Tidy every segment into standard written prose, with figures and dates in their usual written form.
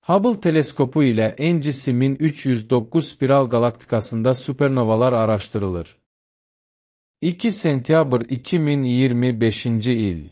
Hubble teleskopu ile NGC 1309 spiral galaktikasında süpernovalar araşdırılır. 2 sentyabr 2025-ci il.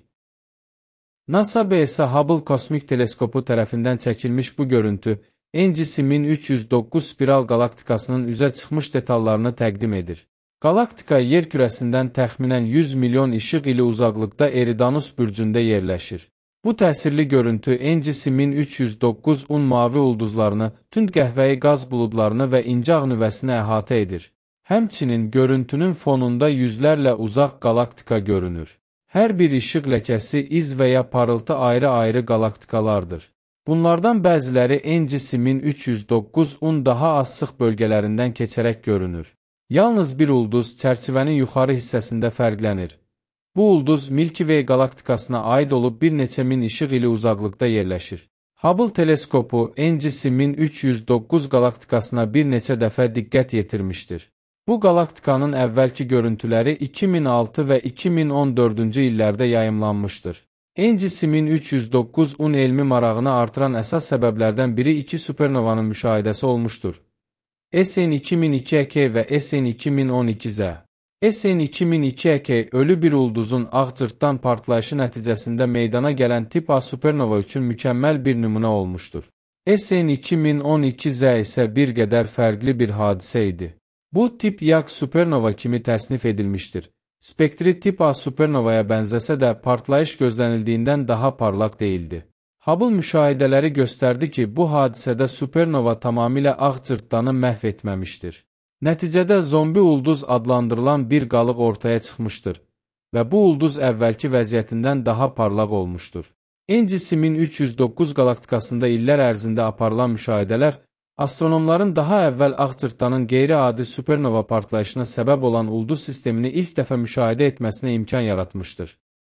NASA BS Hubble kosmik teleskopu tərəfindən çəkilmiş bu görüntü, NGC 1309 spiral galaktikasının üzə çıxmış detallarını təqdim edir. Galaktika yer kürəsindən təxminən 100 milyon işıq ili uzaqlıqda Eridanus bürcündə yerləşir. Bu təsirli görüntü NGC 1309-un mavi ulduzlarını, tünd qəhvəyi qaz buludlarını və incə ağ nüvəsini əhatə edir. Həmçinin görüntünün fonunda yüzlərlə uzaq galaktika görünür. Hər bir işıq ləkəsi, iz və ya parıltı ayrı-ayrı galaktikalardır. Bunlardan bəziləri NGC 1309-un daha az sıx bölgələrindən keçərək görünür. Yalnız bir ulduz çərçivənin yuxarı hissəsində fərqlənir. Bu ulduz Milky Way galaktikasına aid olub bir neçə min işıq ili uzaqlıqda yerləşir. Hubble teleskopu NGC 1309 galaktikasına bir neçə dəfə diqqət yetirmişdir. Bu galaktikanın əvvəlki görüntüləri 2006 və 2014-cü illərdə yayımlanmışdır. NGC 1309-un elmi marağını artıran əsas səbəblərdən biri iki supernovanın müşahidəsi olmuşdur. SN 2002 və SN 2012Z. SN 2002 ölü bir ulduzun ağ cırtdan partlayışı nəticəsində meydana gələn tip A supernova üçün mükəmməl bir nümunə olmuşdur. SN 2012Z isə bir qədər fərqli bir hadisə idi. Bu tip YAG supernova kimi təsnif edilmişdir. Spektri tip A supernovaya bənzəsə də partlayış gözlənildiyindən daha parlaq deyildi. Hubble müşahidələri göstərdi ki, bu hadisədə supernova tamamilə ağ cırtdanı məhv etməmişdir. Nəticədə zombi ulduz adlandırılan bir qalıq ortaya çıxmışdır və bu ulduz əvvəlki vəziyyətindən daha parlaq olmuşdur. NGC 1309 galaktikasında illər ərzində aparılan müşahidələr, astronomların daha əvvəl ağ cırtdanın qeyri-adi supernova partlayışına səbəb olan ulduz sistemini ilk dəfə müşahidə etməsinə imkan yaratmışdır.